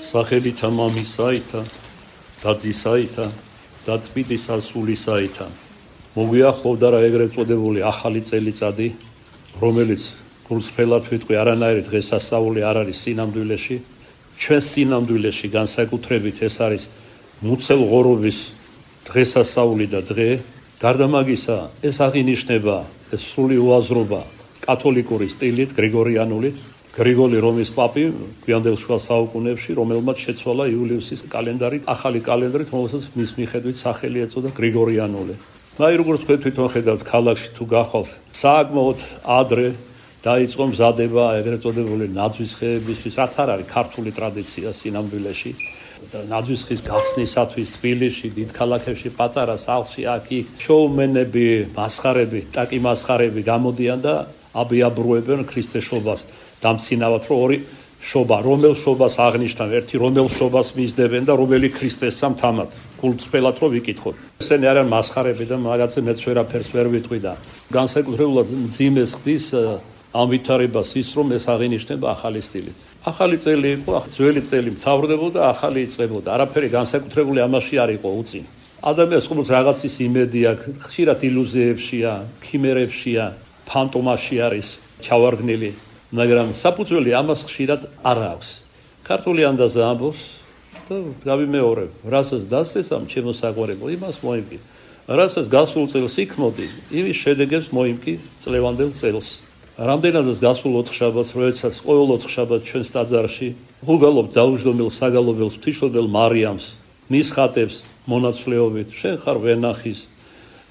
სახელითა მამისაითა და ძისაითა და წმინდის ასულისაითა. მოგვიახლოვდა რა ეგრეთ წოდებული ახალი წელიწადი, რომელიც გულსფრელად ვიტყვი არანაირი დღესასწაული არ არის სინამდვილეში. ჩვენ სინამდვილეში განსაკუთრებით ეს არის მუცელღორობის დღესასწაული და დღე. გარდა მაგისა, ეს აღინიშნება ეს სრული უაზრობა კათოლიკური სტილით, გრიგორიანული. გრიგოლი რომის პაპი გვიანდელ შუა საუკუნეებში, რომელმაც შეცვალა იულიუსის კალენდარი, ახალი კალენდრით, რომელსაც მის მიხედვით სახელი ეწოდა გრიგორიანული. აი როგორც თვითონ ხედავთ, ქალაქში თუ გახვალთ, საკმაოდ ადრე დაიწყო მზადება ეგრეთ წოდებული ნაძვის ხეებისთვის, რაც არ არის ქართული ტრადიცია სინამდვილეში. ნაძვის ხის გახსნისათვის თბილისში, დიდ ქალაქებში, პატარა სახლში, აქ-იქ შოუმენები, მასხარები, ტაკი მასხარები გამოდიან და აბიაბრუებენ ქრისტეშობას. დამცინავად რომ ორი შობა, რომელ შობას აღნიშნავ, ერთი რომელ შობას მისდებენ და რომელი ქრისტესა მთამად. გულწრფელად რომ ვიკითხოთ. ესენი არიან მასხარები და მაგაზე მეც ვერაფერს ვერ ვიტყვი და განსაკუთრებულად მძიმეს ხდის ამ ვითარებას ის რომ ეს აღინიშნება ახალი სტილით. ახალი წელი იყო, ძველი წელი მთავრდებოდა, ახალი იწყებოდა. არაფერი განსაკუთრებული ამაში არ იყო უწინ. ადამიანს ყოველთვის რაღაცის იმედი აქვს, ხშირად ილუზიებშია, ქიმერებშია, ფანტომაში არის ჩავარდნილი. მაგრამ საფუძველი ამას ხშირად არ აქვს. ქართული ანდაზა ამბობს და გავიმეორებ, რასაც დასწესამ ჩემო საყვარელო, იმას მოიმკი. რასაც გასულ წელს იქმოდი, იმის შედეგებს მოიმკი წლევანდელ წელს. რამდენადაც გასულ ოთხშაბათს, როდესაც ყოველ ოთხშაბათს ჩვენს ტაძარში ვუგალობთ დაუჯდომილ საგალობელს ღვთისმშობელ მარიამს, მის ხატებს მონაცვლეობით, შენ ხარ ვენახის,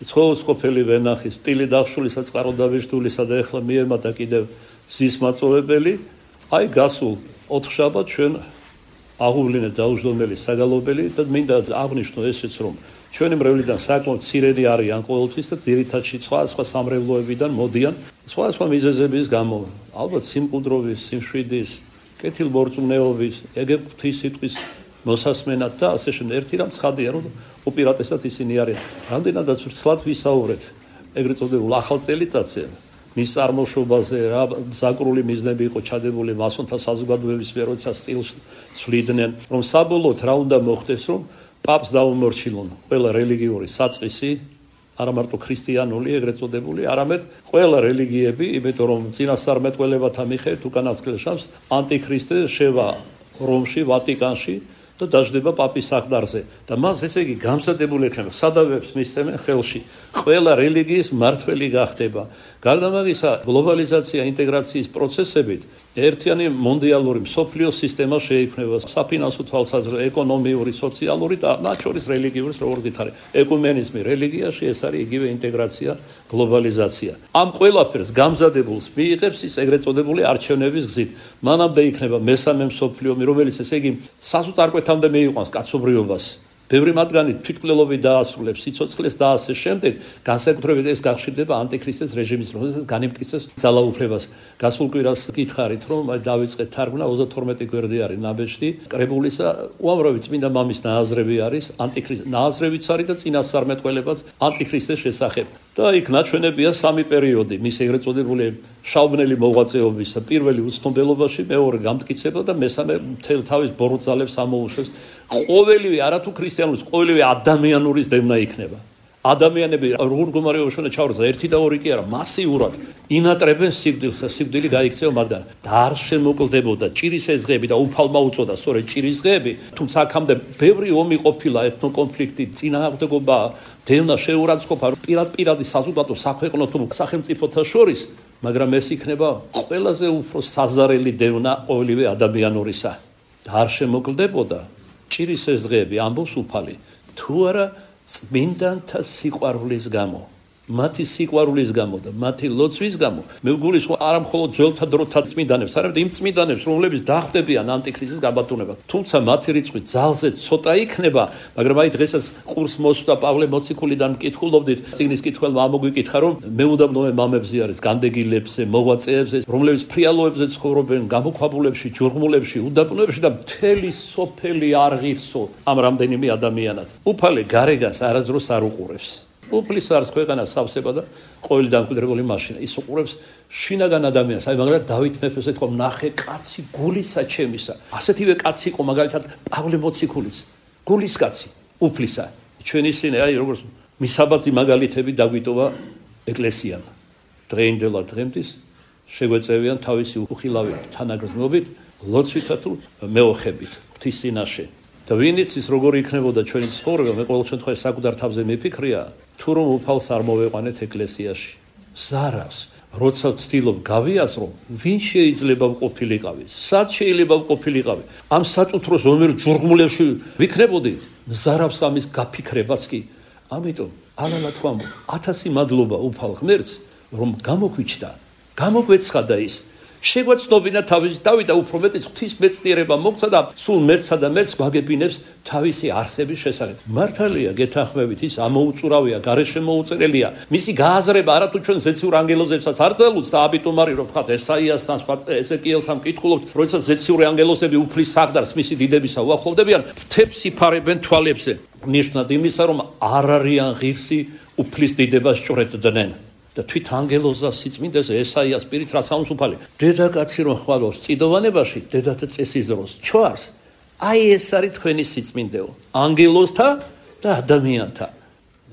ცხოველსყოფელი ვენახის, ტილი დახშულისა, წყაროდაბეჭდულისა და ეხლა მიემატა კიდევ ზის მაწოვებელი. აი გასულ ოთხშაბათს ჩვენ აღუვლინეთ დაუჯდომელი საგალობელი და მინდა აღნიშნო ესეც რომ ჩვენი მრევლიდან საკმაოდ მცირედი არიან ყოველთვის და ძირითადში სხვა სამრევლოებიდან მოდიან სხვა მიზეზების გამო, ალბათ სიმყუდროვის, სიმშვიდის, კეთილმორწმუნეობის, ეგ ღვთისმსიტყვის მოსასმენად და ასე შემდეგ. ერთი რამ ცხადია რომ უპირატესად ისინი არიან. რამდენადაც ვრცლად ვისაუბრეთ ეგრეთ წოდებულ ახალ წელიწადზე, მის წარმოშობაზე, რა საკრული მიზნები იყო ჩადებული მასონთა საზოგადოების მიერ, როცა სტილს ცვლიდნენ, რომ საბოლოოდ რა უნდა მოხდეს, რომ პაპს დაუმორჩილონ ყველა რელიგიური საწყისი, არა მარტო ქრისტიანული ეგრეთ წოდებული, არამედ ყველა რელიგიები, იმიტომ რომ წინასწარმეტყველებათა მიხედვით უკანასკნელ შაბათს ანტიქრისტე შევა რომში, ვატიკანში და დაждდება პაპის სახლდარზე და მას ესე იგი გამზადებული ექნება სადავებს მისცემენ ხელში ყველა რელიგიის მმართველი გახდება. გარდა მაგისა გლობალიზაცია ინტეგრაციის პროცესებით ერთიანი მონდიალური მსოფლიო სისტემა შეიქმნება საფინანსო თვალსაზრისით, ეკონომიური, სოციალური და მათ შორის რელიგიური, როგორც გითხარი, ეკუმენიზმი რელიგიაში ეს არის იგივე ინტეგრაცია, გლობალიზაცია. ამ ყველაფერს გამზადებულს მიიღებს ის ეგრეთ წოდებული არჩევნების გზით. მანამდე იქნება მესამე მსოფლიო ომი, რომელიც ესე იგი საზღვარგარეთამდე მიიყვანს კაცობრიობას. ბევრი მათგანი თვითმკვლელობით დაასრულებს სიცოცხლეს და ასე შემდეგ, განსაკუთრებით ეს გახშირდება ანტიქრისტეს რეჟიმის რომელსაც განიმტკიცებს ძალაუფლებას. გასულ კვირას გითხარით, რომ დავიწყეთ თარგმნა 32 გვერდი არის ნაბეჭდი კრებულისა, უამრავი წმინდა მამის ნააზრები არის, ანტიქრისტეს ნააზრებიც არის და წინასწარმეტყველებაც ანტიქრისტეს შესახებ. და იქ ნაჩვენებია სამი პერიოდი, მის ეგრეთ წოდებული შავბნელი მოღვაწეობისა, პირველი უცნობელობაში, მეორე გამტკიცება და მესამე მთელ თავის ბოროტძალებს ამოუშვებს. ყოველივე არათუ ქრისტიანულის, ყოველივე ადამიანურის დევნა იქნება. ადამიანები როგორ მდგომარეობაში უნდა ჩავარდეს, ერთი და ორი კი არა, მასიურად ინატრებენ სიკვდილს, სიკვდილი გაიქცევა მათგან. და არ შემოკლდებოდა ჭირის ეზღები და უფალმა უწოდა, სწორედ ჭირის ზღები, თუმცა აქამდე ბევრი ომი ყოფილა, ეთნოკონფლიქტი, წინააღმდეგობა, დევნა შეურაცხყოფა პირადი საზოგადო საქვეყნო თუ სახელმწიფოთა შორის, მაგრამ ეს იქნება ყველაზე უფრო საზარელი დევნა ყოველივე ადამიანურისა. და არ შემოკლდებოდა ჭირის ეზღები, ამბობს უფალი, თუ არა წმინდანთა სიყვარულის გამო. მათი სიყვარულის გამო და მათი ლოცვის გამო მე ვგულისხმობ არა მხოლოდ ძველთა დროთა წმინდანებს, არამედ იმ წმინდანებს, რომლებიც დახვდებიან ანტიქრისტის გაბატონებას. თუმცა მათი რიცხვი ძალზე ცოტა იქნება, მაგრამ აი დღესაც ყურს მოსვდა პავლე მოციქულიდან მკითხულობდით, წიგნის კითხველმა ამოგვიკითხა, რომ მეუდაბნოე მამებზე არის განდეგილებზე, მოღვაწეებზე, რომლებიც ფრიალოებზე ცხოვრობენ, გამოქვაბულებში, ჯურღმულებში, უდაბნოებში და მთელი სოფელი არ ღირსო ამ რამდენიმე ადამიანად. უფალი გარეგას არასდროს არ უყურებს. უფლის არის ქვეყანას სავსება და ყოველი დამკვიდრებული მაშინა. ის უყურებს შინაგან ადამიანს. აი მაგალითად დავით მეფეს ეთქვა ნახე კაცი გულისა ჩემისა. ასეთივე კაცი იყო მაგალითად პავლე მოციქულიც. გულის კაცი, უფლისა. ჩვენი სინე აი როგორც მისაბაძი მაგალითები დაგვიტოვა ეკლესიამ. დღეინდელად დღემდის შეგვეწევიან თავისი უხილავი თანაგრძნობით, ლოცვითა თუ მეოხებით, ღვთის წინაშე. და ვინც ის როგორი იქნებოდა ჩვენი ცხოვრება, მე ყოველ შემთხვევაში საკუთარ თავზე მიფიქრია, თუ რომ უფალს არ მოვეყვანეთ ეკლესიაში. ზარავს, როცა ვცდილობ გავიაზრო, ვინ შეიძლება ვყოფილიყავი, სად შეიძლება ვყოფილიყავი. ამ საწუთროს რომელ ჯურღმულებში ვიქნებოდი, ზარავს ამის გაფიქრებაც კი. ამიტომ ალალა თქვამ 1000 მადლობა უფალ ღმერთს, რომ გამოგვიჩნდა, გამოგვეცხადა ის. შეგვეცნობინა თავისი დავით და უფრო მეტიც ღვთის მეცნიერება მოგცა და სულ მეცსა და მეც გვაგებინებს თავისი არსების შესახებ. მართალია გეთანხმებით ის ამოუწურავია, გარეშე მოუწერელია. მისი გააზრება არათუ ჩვენ ზეციურ ანგელოზებსაც არ ძლევს და აბიტომარი რომ ვთქვათ ესაიასთან, სხვა ეზეკიელთან მკითხულობთ, როდესაც ზეციური ანგელოზები უფლის საგდარს მისი დიდებისა უახლოვდებიან, თებს იფარებენ თვალებზე. ნიშნად იმისა, რომ არ არიან ღირსი უფლის დიდებას ჭვრეტდნენ. და თვით ანგელოზა სიწმინდეს ესაიას პირით რა სამსუფალი. დედაკაცი რომ ხვალოს წიდოვანებაში, დედათა წესის დროს ჩვარს. აი ეს არის თქვენი სიწმინდეო. ანგელოზთა და ადამიანთა.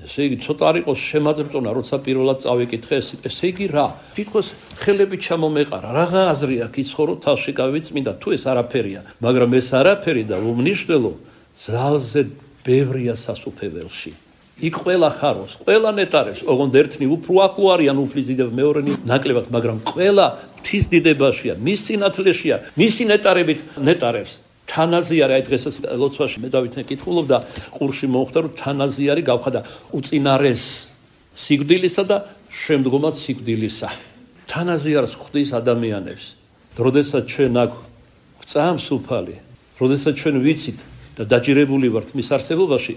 ესე იგი ცოტა არ იყოს შემაძრწონა, როცა პირველად წავიკითხე, ესე იგი რა? თითქოს ხელები ჩამომეყარა, რაღა აზრი აქვს იცხოვრო თალში გავიწმინდა, თუ ეს არაფერია, მაგრამ ეს არაფერი და უმნიშვნელო ძალზე ბევრია სასუფეველში. იქ ყველა ხაროს, ყველა ნეტარებს, ოღონდ ერთნი უფრო ახლო არიან უფლის დიდება, მეორენი ნაკლებად, მაგრამ ყველა ღვთის დიდებაშია, მის სინათლეშია, მისი ნეტარებით ნეტარებს. თანაზიარი, აი დღესაც ლოცვაში მე დავით მეკითხულობდა, ყურში მოხვდა, რომ თანაზიარი გავხადა უწინარეს სიკვდილისა და შემდგომად სიკვდილისა. თანაზიარს ხვდის ადამიანებს. როდესაც ჩვენ აქ გვწამს უფალი, როდესაც ჩვენ ვიცით და დაჯერებული ვართ მის არსებობაში,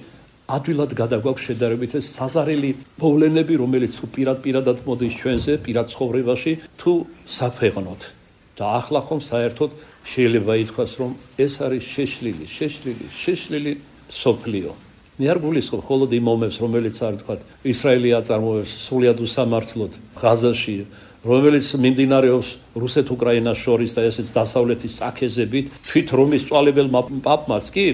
ადვილად გადაგვაქვს შედარებით ეს საზარელი მოვლენები, რომელიც თუ პირადად მოდის ჩვენზე, პირად ცხოვრებაში, თუ საფეღნოთ. და ახლა ხომ საერთოდ შეიძლება ითქვას, რომ ეს არის შეშლილი სოფლიო. მე არ გულისხმობ მხოლოდ იმ მომებს, რომელიც არ ვთქვათ, ისრაელი აწარმოებს სრულიად უსამართლოდ ღაზაში, რომელიც მიმდინარეობს რუსეთ-უკრაინას შორის და ესეც დასავლეთის წაქეზებით, თვით რომის წვალებელმა პაპმაც კი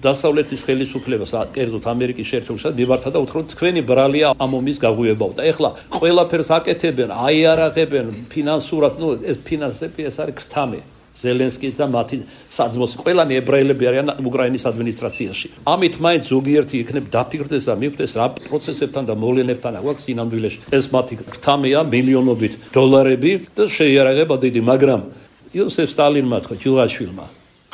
დასავლეთის ხელისუფლებას, კერძოდ ამერიკის შეერთებულ შტატებში მიმართა და უთხრა, თქვენი ბრალია ამ ომის გაღვივებაო. და ეხლა ყველაფერს აკეთებენ, აიარაღებენ ფინანსურად, ეს ფინანსები ეს არის ქრთამი. ზელენსკის და მათი საძმოსი ყველანი ებრაელები არიან უკრაინის ადმინისტრაციაში. ამით მაინც ზოგიერთი იქნებ დაფიქრდეს და მიხვდეს რა პროცესებთან და მოვლენებთან აქვს სინამდვილეში. ეს მათი ქრთამია მილიონობით დოლარები და შეიარაღება დიდი, მაგრამ იოსებ სტალინმა თქვა ჯილაშვილმა,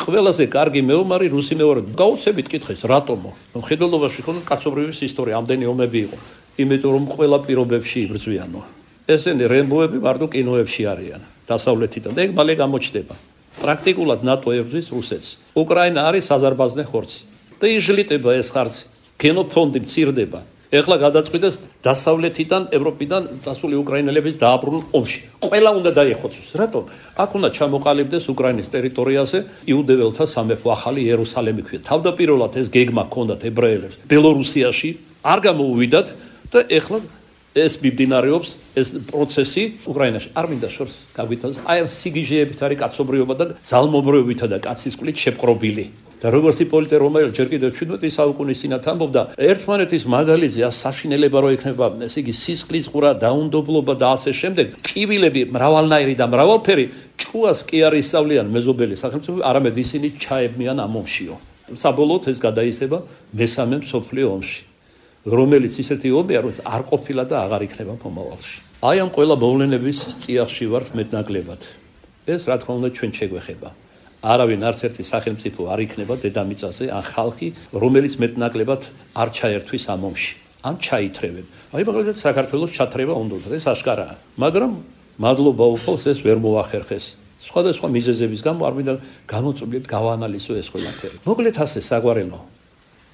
ყველაზე კარგი მეომარი რუსი მეომარი. გაუცებით კითხეს, რატომო? მხედველობაში ხომ კაცობრიობის ისტორია, ამდენი ომები იყო. იმიტომ რომ ყველა პირობებში იბრძვიანო. ესენი რემბოები მარტო კინოებში არიან დასავლეთიდან და ეგ მალე გამოჩნდება. პრაქტიკულად ნატო ებრძვის რუსეთს. უკრაინა არის საზარბაზნე ხორცი. და იშლიტება ეს ხარცი. გენოფონდი მცირდება. ეხლა გადაწყვიტეს დასავლეთიდან, ევროპიდან წასული უკრაინელების დააბრუნონ ომში. ყველა უნდა დაიხოცოს. რატომ? აქ უნდა ჩამოყალიბდეს უკრაინის ტერიტორიაზე იუდეველთა სამეფო, ახალი იერუსალიმი ქვია. თავდაპირველად ეს გეგმა ჰქონდათ ებრაელებს ბელორუსიაში, არ გამოუვიდათ და ეხლა ეს მიმდინარეობს ეს პროცესი უკრაინაში. არ მინდა შორს გავითავაზო. აი ამ სიგიჟეებით არის კაცობრიობა და ძალმობრიობითა და კაცის კვლით შეპყრობილი. და როგორც იპოლიტე რომაელი ჯერ კიდევ 17 საუკუნის წინათ ამბობდა, ერთმანეთის მაგალითზე საშინელება რო იქნება, ესე იგი სისხლის ყურა, დაუნდობლობა და ასე შემდეგ, კივილები მრავალნაირი და მრავალფერი ჭუას კი არ ისწავლიან მეზობელი სახელმწიფოები, არამედ ისინი ჩაებმიან ამ ომშიო. საბოლოოდ ეს გადაიზრდება მესამე მსოფლიო ომში, რომელიც ისეთი ომია, რომელიც არ ყოფილა და აღარ იქნება მომავალში. აი ამ ყველა მოვლენების წიაღში ვართ მეტნაკლებად. ეს რა თქმა უნდა ჩვენ შეგვეხება. არავინ არც ერთი სახელმწიფო არ იქნება დედამიწაზე ან ხალხი, რომელიც მეტნაკლებად არ ჩაერთვის ამ ომში. ან ჩაითრევენ. აი მაგალითად საქართველოს ჩათრევა უნდა, ეს აშკარაა. მაგრამ მადლობა უფალს ეს ვერ მოახერხეს. სხვადასხვა მიზეზების გამო არ მინდა გამოწვლიეთ გავაანალიზო ეს ყველაფერი. მოკლედ ასე საგვარელო.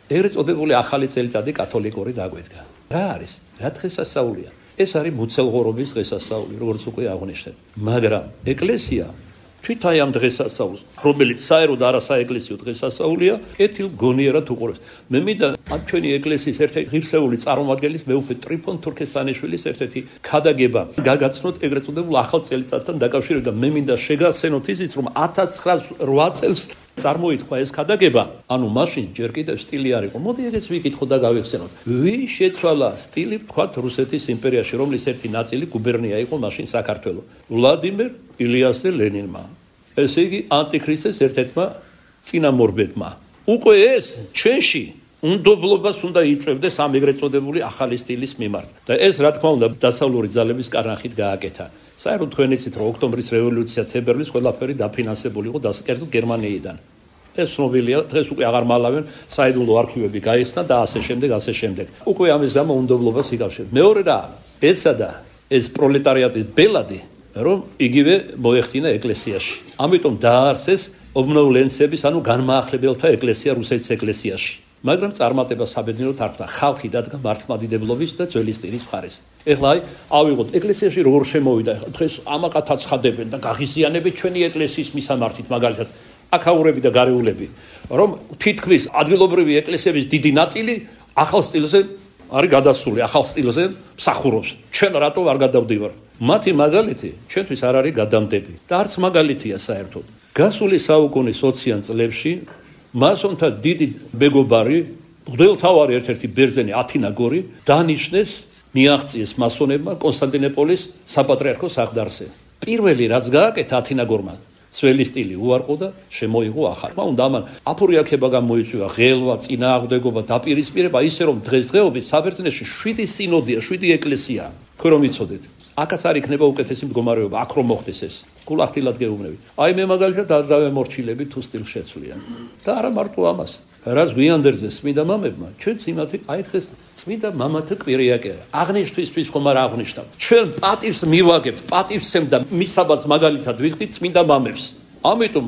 ეგრეთ წოდებული ახალი წელიწადი კათოლიკური დაგვედგა. რა არის? რა დღესასწაულია? ეს არის მუცელღორობის დღესასწაული, როგორც უკვე აღნიშნეთ. მაგრამ ეკლესია თვით აი ამ დღესასწაულს, რომელიც საერთოდ არასაეკლესიო დღესასწაულია, კეთილ გონიერად უყურებს. მე მინდა ამ ჩვენი ეკლესიის ერთ-ერთი ღირსეული წარმომადგენლის მეუფე ტრიფონ თურქესტანიშვილის ერთ-ერთი ქადაგება გაგაცნოთ ეგრეთ წოდებულ ახალ წელიწადთან დაკავშირებით და მე მინდა შეგახსენოთ ისიც, რომ 1908 წელს წარმოითქვა ეს ქადაგება, ანუ მაშინ ჯერ კიდევ სტილი არ იყო. მოდი ეგეც ვიკითხოთ და გავიხსენოთ. ვის შეცვალა სტილი, ვთქვათ, რუსეთის იმპერიაში, რომლის ერთი ნაწილი გუბერნია იყო მაშინ საქართველო? ვლადიმერ ილიასზე ლენინმა. ესე იგი, ანტიქრისტეს ერთ-ერთმა წინამორბედმა. უკვე ეს ჩვენში უნდობლობას უნდა იწვევდეს ამ ეგრეთ წოდებული ახალი სტილის მიმართ. და ეს, რა თქმა უნდა, დაცავლური ძალების კარანხით გააკეთა. საერთოდ თქვენ იცით, რომ ოქტომბრის რევოლუცია თებერვლის ყველაფერი დაფინანსებული იყო დასაკერწოდ გერმანიიდან. ეს ცნობილია, დღეს უკვე აღარ მალავენ, საიდუმლო არქივები გაიხსნა და ასე შემდეგ. უკვე ამის გამო უნდობლობას იკავშირებს. მეორე რა, ესა და ეს პროლეტარიატის ბელადი, რომ იგივე მოეხდინა ეკლესიაში. ამიტომ დააარსეს ობნოვლენცების, ანუ განმაახლებელთა ეკლესია რუსეთის ეკლესიაში. მაგრამ წარმატება საბედნიეროდ არ ხდა. ხალხი დადგა მართლმადიდებლობის და ძველი სტილის მხარეს. ეხლა აი, ავიღოთ ეკლესიაში როგორ შემოვიდა. დღეს ამაყად აცხადებენ და გაღიზიანებენ ჩვენი ეკლესიის მისამართით, მაგალითად, აქაურები და გარეულები, რომ თითქმის ადგილობრივი ეკლესიების დიდი ნაწილი ახალ სტილზე არის გადასული, ახალ სტილზე მსახურობს. ჩვენ რატო არ გადავდივარ? მათი მაგალითი ჩვენთვის არ არის გადამდები და არც მაგალითია საერთოდ. გასული საუკუნის 20-იან წლებში მასონთა დიდი მეგობარი, მღვდელმთავარი ერთ-ერთი ბერძენი ათინაგორი დანიშნეს, მიაღწიეს მასონებმა კონსტანტინოპოლის საპატრიარქოს აღდარსე. პირველი რაც გააკეთა ათინაგორმა, ძველი სტილი უარყო და შემოიღო ახალი. უნდა ამან აფურიაქება გამოიწვია, ღელვა, წინააღმდეგობა, დაპირისპირება, ისე რომ დღესდღეობით საბერძნეთში 7 სინოდია, 7 ეკლესია. თქვენ რომ იცოდეთ, აქაც არ იქნება უკეთესი მდგომარეობა, აქ რომ მოხდეს ეს. გულახდილად გეუბნები. აი მე მაგალითად არ დავემორჩილები თუ სტილს შეცვლიან. და არა მარტო ამას. რაც გვიანდერზე წმინდა მამებმა, ჩვენც იმათი, აი დღეს წმინდა მამათა კვირიაკია. აღნიშნვისთვის ხომ არ აღნიშნავ. ჩვენ პატივს მივაგებთ, პატივსემ და მისაბაც მაგალითად ვიხდით წმინდა მამებს. ამიტომ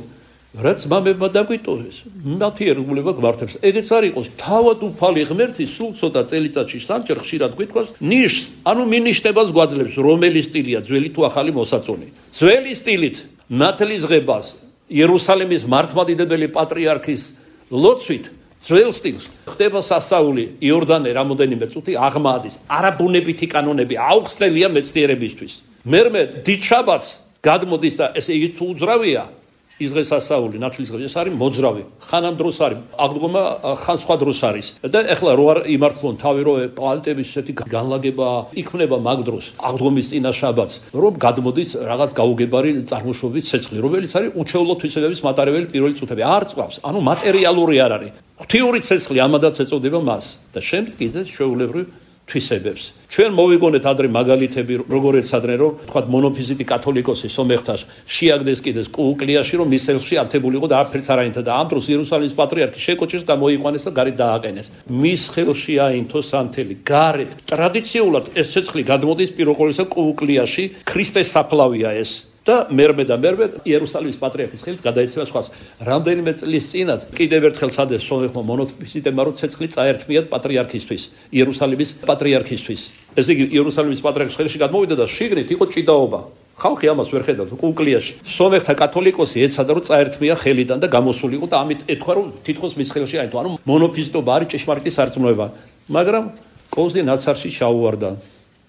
რაც მამებმა დაგვიტოვეს, მათი ერგულება გვართებს. ეგეც არ იყოს, თავად უფალი ღმერთი სულ ცოტა წელიწადში სამჯერ ხშირად გვითქვას ნიშს, ანუ მინიშნებას გვაძლევს, რომელი სტილია, ძველი თუ ახალი მოსაწონი. ძველი სტილით ნათლისღებას იერუსალიმის მართლმადიდებელი პატრიარქის ლოცვით ძველ სტილს ხდება სასაული იორდანე რამოდენიმე წუთი აღმაადის. არაბუნებითი კანონები აუხსნელია მეცნიერებისთვის. მერმე დიდ შაბათს გადმოდის და ესე იგი თუ უძრავია ის დღესასწაული ნათლისღება, ეს არის მოძრავი. ხანამ დროს არის, აღდგომა ხან სხვა დროს არის. და ეხლა რო არ იმართლონ თავი, რო პლანეტების ესეთი განლაგება იქმნება მაგ დროს, აღდგომის წინა შაბათს, რომ გადმოდის რაღაც გაუგებარი წარმოშობის ცეცხლი, რომელიც არის უჩვეულო თვისებების მატარებელი პირველი წუთები. არ წვავს, ანუ მატერიალური არ არის. ღვთიური ცეცხლი ამადაც ეწოდება მას და შემდეგ იძლევა ჩვეულებრივ თვისებებს. ჩვენ მოვიგონეთ ადრე მაგალითები, როგორ ეცადნენ, რომ თქვა მონოფიზიტი კათოლიკოსი სომეხთას შეაგდეს კიდეს კუკლიაში, რომ მის ხელში ართებული იყო და არაფერს არ აინთა და ამ დროს იერუსალიმის პატრიარქი შეკოჭეს და მოიყვანეს და გარეთ დააყენეს. მის ხელში აინთო სანთელი. გარეთ ტრადიციულად ეს ცეცხლი გადმოდის პირველ ყოვლისა კუკლიაში, ქრისტეს საფლავია ეს. და მერმე იერუსალიმის პატრიარქის ხელით გადაეცემა სხვას. რამდენიმე წლის წინათ კიდევ ერთხელ სადეს სომეხმა მონოფიზიტებმა რომ ცეცხლი წაერთმიათ პატრიარქისთვის, იერუსალიმის პატრიარქისთვის. ესე იგი იერუსალიმის პატრიარქის ხელში გადმოვიდა და შიგნით იყო ჭიდაობა. ხალხი ამას ვერ ხედავდა კუკლიაში. სომეხთა კათოლიკოსი ეცადა რომ წაერთმია ხელიდან და გამოსულიყო და ამით ეთქვა რომ თითქოს მის ხელში აინთო. ანუ მონოფიზიტობა არის ჭეშმარიტი სარწმუნოება. მაგრამ კოზი ნაცარში ჩაუვარდა.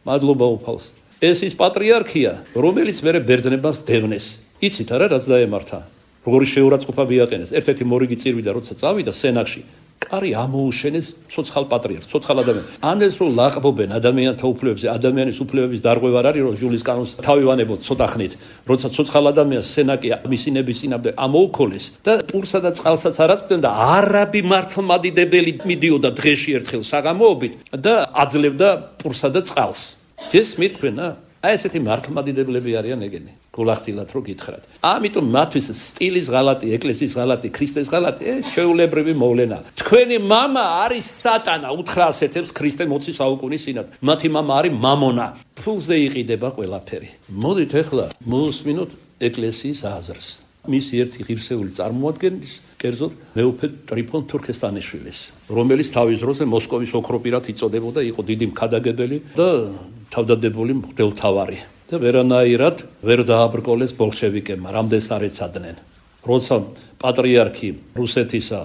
მადლობა უფალს. ეს ის პატრიარქია, რომელიც მერე ბერძნებას დევნეს. იცით არა, რაც დაემართა? როგორი შეურაცხყოფა მიაყენეს. ერთ-ერთი მორიგი წირვიდა, როცა წავიდა სენაკში, კარი ამოუშენეს ცოცხალ პატრიარქს, ცოცხალ ადამიანს. ანეს რომ ლაყბობენ ადამიანთა უფლებებზე, ადამიანის უფლებების დარღვევა არ არის, რომ ჟულის კანონს თავივანებოთ ცოტა ხნით. როცა ცოცხალ ადამიანს სენაკი მისინების წინამდე ამოუქოლეს და პურსა და წყალსაც არ აწვდნენ და არაბი მართლმადიდებელი მიდიოდა დღეში ერთხელ საღამოობით და აძლევდა პურსა და წყალს. ეს მithქვენა, აი ესეთი მართლმადიდებლები არიან ეგენი, გულახდილად რო გითხრათ. ამიტომ მათთვის სტილის ღალატი, ეკლესიის ღალატი, ქრისტეს ღალატი, ჩვეულებრივი მოვლენა. თქვენი მამა არის სატანა, უთხრა ასეთებს ქრისტე 20 საუკუნის წინათ. მათი მამა არის მამონა. ფულზე იყიდება ყველაფერი. მოდით ახლა მოусმინოთ ეკლესიის აზრს. მისი ერთი ღირსეული წარმოადგენლის, კერძოდ მეუფე ტრიფონ თურქესტანიშვილის, რომელიც თავის დროზე მოსკოვის ოქროპირად იწოდებოდა, იყო დიდი მქადაგებელი და თავდადებული მღვდელმთავარი. და ვერანაირად ვერ დააბრკოლეს ბოლშევიკებმა, რამდენს არ ეცადნენ. როცა პატრიარქი რუსეთისა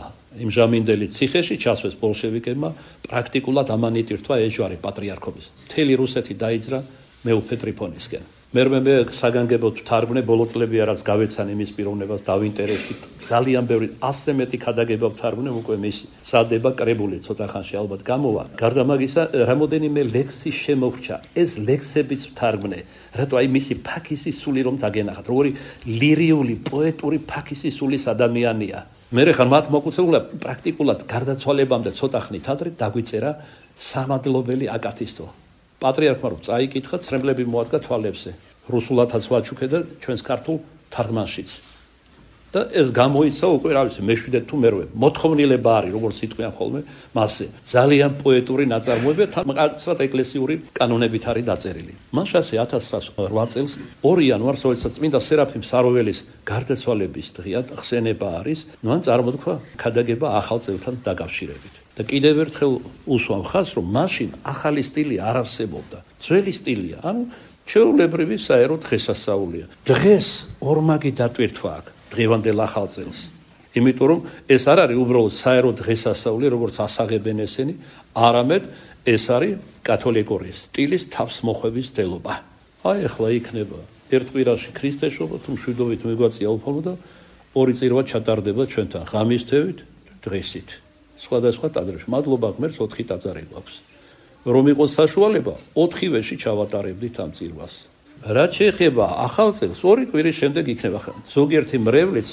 იმჟამინდელი ციხეში ჩასვეს ბოლშევიკებმა, პრაქტიკულად ამანიტირთვა ეჯვარი პატრიარქობის. მთელი რუსეთი დაიძრა მეუფე ტრიფონისკენ. მე საგანგებოდ ვთარგმნე ბოლო წლები რაც გავეცან იმის პიროვნებას დავინტერესდი. ძალიან ბევრი 100-ზე მეტი ქადაგება ვთარგმნე, უკვე მის სადება კრებული ცოტა ხანში ალბათ გამოვა. გარდა მაგისა, რამოდენიმე ლექსი შემოვრჩა. ეს ლექსებიც ვთარგმნე. რატო აი მისი ფაქისი სული რომ დაგენახათ, როგორი ლირიული, პოეტური ფაქისი სულის ადამიანია. მე ხარ მათ მოკუცებულა პრაქტიკულად გარდაცვალებამდე ცოტა ხნით ადრე დაგვიწერა სამადლობელი აკათისტო. პატრიარქმა რომ წაიკითხა, ცრემლები მოადგა თვალებზე. რუსულათაც ვაჩუქე და ჩვენს ქართულ თარგმანშიც. და ეს გამოიცა უკვე რა ვიცი, მე-7 თუ მე-8. მოთხოვნილება არის, როგორც იტყვიან ხოლმე, მასზე. ძალიან პოეტური ნაწარმოები, თან ეკლესიური კანონებით არის დაწერილი. მაშასე 1908 წელს 2 იანვარს, როდესაც წმინდა სერაფიმ საროველის გარდაცვალების დღეა, ხსენება არის, მან წარმოთქვა ქადაგება ახალ წელთან დაკავშირებით. და კიდევ ერთხელ უსვამ ხაზს, რომ მაშინ ახალი სტილი არ არსებობდა. ძველი სტილია, ანუ ჩვეულებრივი საერო დღესასწაულია. დღეს ორმაგი დატვირთვა აქვს დღევანდელ ახალ წელს. იმიტომ რომ ეს არ არის უბრალოდ საერო დღესასწაული, როგორც ასაღებენ ესენი, არამედ ეს არის კათოლიკური სტილის თავსმოხვევის ძელობა. აი ახლა იქნება ერთ კვირაში ქრისტეშობა, თუ მშვიდობით მიგვაწია უფალმა და 2 წირვა ჩატარდება ჩვენთან ღამისთევით, დღესით. სხვადასხვა ტაძრებში. მადლობა ღმერთს 4 ტაძარი გვაქვს. რომ იყოს საშუალება, 4-ვეში ჩავატარებდით ამ წირვას. რაც შეეხება ახალ წელს, 2 კვირის შემდეგ იქნება ზოგიერთი მრევლიც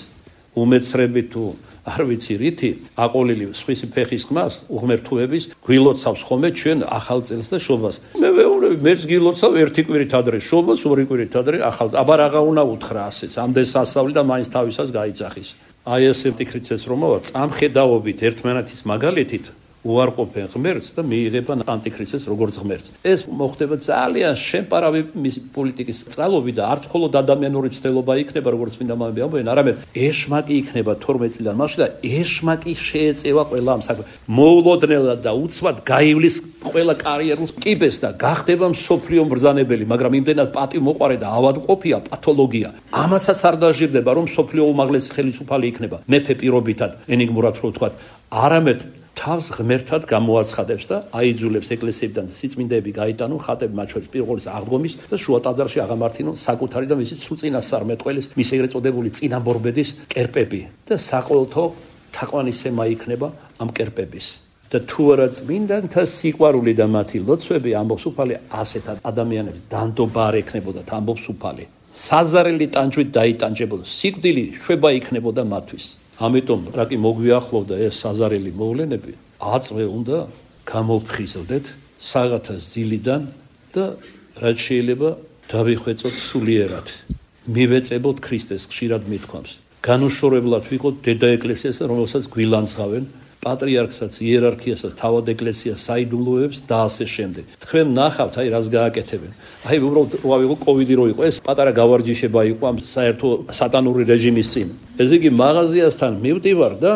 უმეცრებით თუ არ ვიცი რითი აყოლილი სხვისი ფეხის ხმას უღმერთუების გვილოცავს ხოლმე ჩვენ ახალ წელს და შობას. მე ვეუბნები, მეც გილოცავ 1 კვირით ადრე შობას, 2 კვირით ადრე ახალ. აბა რაღა უნდა უთხრა ასეც, ამდენ სასწავლი და მაინც თავისას გაიძახის. აი ეს ანტიქრისტეს რომავა წამხედაობით ერთმანეთის მაგალითით უარყოფენ ღმერთს და მიიღება ანტიქრისტეს როგორც ღმერთს. ეს მოხდება ძალიან შემპარავი პოლიტიკის წყალობით და არ მხოლოდ ადამიანური ცდელობა იქნება, როგორც მინდა მომები ამბობენ, არამედ ეშმაკი იქნება 12 წლიდან მაშინ და ეშმაკი შეეწევა ყველა ამ საქმეს. მოულოდნელად და უცბად გაივლის ყველა კარიერულ კიბეს და გახდება მსოფლიო მბრძანებელი, მაგრამ იმდენად პატივმოყვარე და ავადმყოფია პათოლოგია. ამასაც არ დაჟირდება, რომ მსოფლიო უმაღლესი ხელისუფალი იქნება მეფე პირობითად, ენიგმურად რო ვთქვათ, არამედ თავს ღმერთად გამოაცხადებს და აიძულებს ეკლესიებიდან სიწმინდეები გაიტანონ, ხატები მათ შორის პირველის აღდგომის და შუა ტაძარში აღამართინონ საკუთარი და მისი სუწინასწარმეტყველის, მის ეგრეთ წოდებული წინამორბედის კერპები და საყოველთაო თაყვანისცემა იქნება ამ კერპების. და თუ არა წმინდანთა სიყვარული და მათი ლოცვები, ამბობს უფალი, ასეთ ადამიანებს დანდობა არ ექნებოდათ, ამბობს უფალი. საზარელი ტანჯვით დაიტანჯებოდა, სიკვდილი შვება იქნებოდა მათთვის. ამიტომ რა კი მოგვიახლოვდა ეს საზარელი მოვლენები, აწვე უნდა გამოფხიზლდეთ საღათას ძილიდან და რაც შეიძლება დავიხვეწოთ სულიერად. მივეწებოთ ქრისტეს, ხშირად მithქვამს. განუშორებლად ვიყოთ დედა ეკლესიას, რომელსაც გვილანძღავენ, პატრიარქსაც, იერარქიასაც, თავად ეკლესიას საიდუმლოებს და ასე შემდეგ. თქვენ ნახავთ, აი რას გააკეთებენ. აი უბრალოდ რა ვიყო კოვიდი რო იყო, ეს პატარა გავარჯიშება იყო ამ საერთო სატანური რეჟიმის წინ. ესე იგი მაღაზიასთან მივდივარ და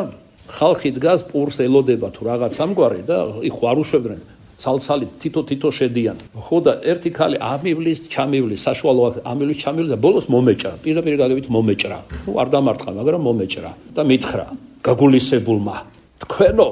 ხალხი დგას, პურს ელოდება თუ რაღაც ამგვარი და იქ არ უშვებდნენ. ცალცალით თითო შედიან. ხო და ერთი ქალი ამივლის, ჩამივლის, საშუალო ამივლის, ჩამივლის და ბოლოს მომეჭრა. პირდაპირ გაგებით მომეჭრა. ნუ არ დამარტყა, მაგრამ მომეჭრა და მითხრა გაგულისებულმა, თქვენო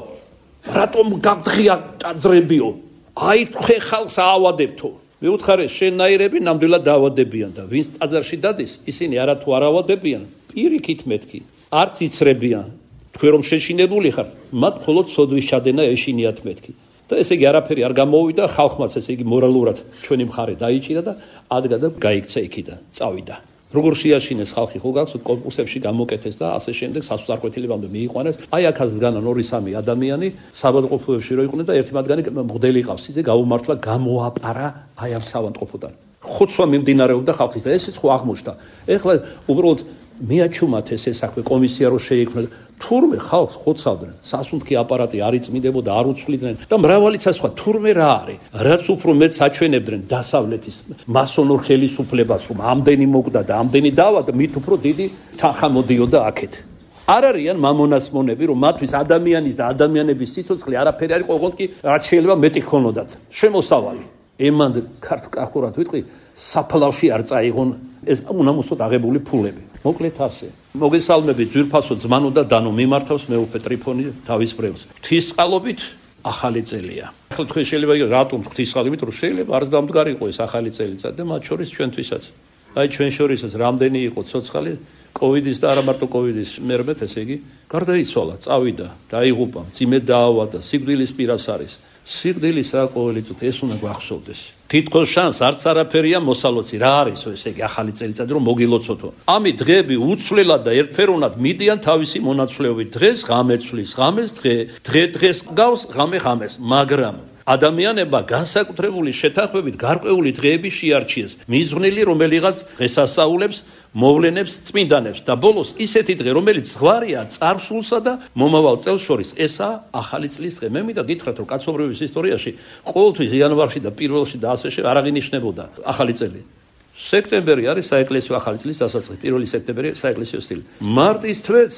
რატომ გაგდღია ტაძრებიო? აი თქვენ ხალხს აავადებთო. მეუთხარე შენნაირები ნამდვილად დაავადებიან და ვინც ტაძარში დადის, ისინი არათუ არ ავადებიან, პირიქით მეთქი, არც იცრებიან. თქვენ რომ შეშინებული ხართ, მათ მხოლოდ სოდვის ჩადენა ეშინიათ მეთქი. და ესე იგი არაფერი არ გამოვიდა, ხალხმაც ესე იგი მორალურად ჩვენი მხარე დაიჭირა და ადგა და გაიქცა იქიდან, წავიდა. როგორ შეაშინეს ხალხი ხო გახსოვთ, კონკურსებში გამოკეთეს და ასე შემდეგ სასწარკვეთილებამდე მიიყვანეს. აი აქაც დგანან 2-3 ადამიანი საბადყოფოებში რო იყვნენ და ერთი მათგანი მღვდელი ყავს, ისე გაუმართლა, გამოაპარა აი ამ საბადყოფოდან. ხოცვა მიმდინარეობდა ხალხის და ესეც ხო აღმოჩნდა. ეხლა უბრალოდ მიაჩუმათ ეს საქმე, კომისია რო შეიქმნა, თურმე ხალხს ხოცავდნენ, სასუნთქი აპარატი არ იწმინდებოდა, არ უცვლიდნენ და მრავალიც სხვა თურმე რა არის, რაც უფრო მეტ საჩვენებდნენ დასავლეთის მასონურ ხელისუფლებას, რომ ამდენი მოგდა და ამდენი დავა და მით უფრო დიდი თანხა მოდიოდა აქეთ. არ არიან მამონასმონები, რომ მათთვის ადამიანის და ადამიანების სიცოცხლე არაფერი არის, ყოველთვის კი რაც შეიძლება მეტი ქონოდათ. შემოსავალი. ემანდ ქართკახურად ვიტყვი საფლავში არ წაიღონ ეს უნამუსოდ აღებული ფულები. მოკლედ ასე. მოგესალმებით ძვირფასო ძმანო და დანო მიმართავს მეუფე ტრიფონი თავის ბრევს. ღვთისწყალობით ახალი წელია. ახლა თქვენ შეიძლება რატომ ღვთისწყალობით რომ შეიძლება არც დამდგარი იყო ეს ახალი წელიწადი და მათ შორის ჩვენთვისაც. აი ჩვენ შორისაც რამდენი იყო ცოცხალი კოვიდის და არა მარტო კოვიდის მერმეთ ესე იგი გარდაიცვალა, წავიდა, დაიღუპა, მძიმედ დაავადდა, სიკვდილის პირას არის. სიკვდილის ყოველი წუთი ეს უნდა გვახსოვდეს. თითქოს შანს არც არაფერია მოსალოცი რა არის ესე იგი ახალი წელიწადი რომ მოგილოცოთო. ამით დღეები უცვლელად და ერთფეროვნად მიდიან თავისი მონაცვლეობით. დღეს ღამეცვლის, ღამეს დღეს გავს, ღამე ღამეს, მაგრამ ადამიანებმა განსაკუთრებული შეთანხმებით გარკვეული დღეები შეარჩიეს. მიზღვნილი რომელიღაც დღესასწაულებს, მოვლენებს, წმინდანებს და ბოლოს ისეთი დღე, რომელიც ზღვარია წარსულსა და მომავალ წელს შორის. ესაა ახალი წლის დღე. მე მინდა გითხრათ, რომ კაცობრიობის ისტორიაში ყოველთვის იანვარში და პირველში და ასე არ აღინიშნებოდა ახალი წელი. სექტემბერი არის საეკლესიო ახალი წლის დასაწყისი, 1 სექტემბერი საეკლესიო სტილი. მარტის თვეც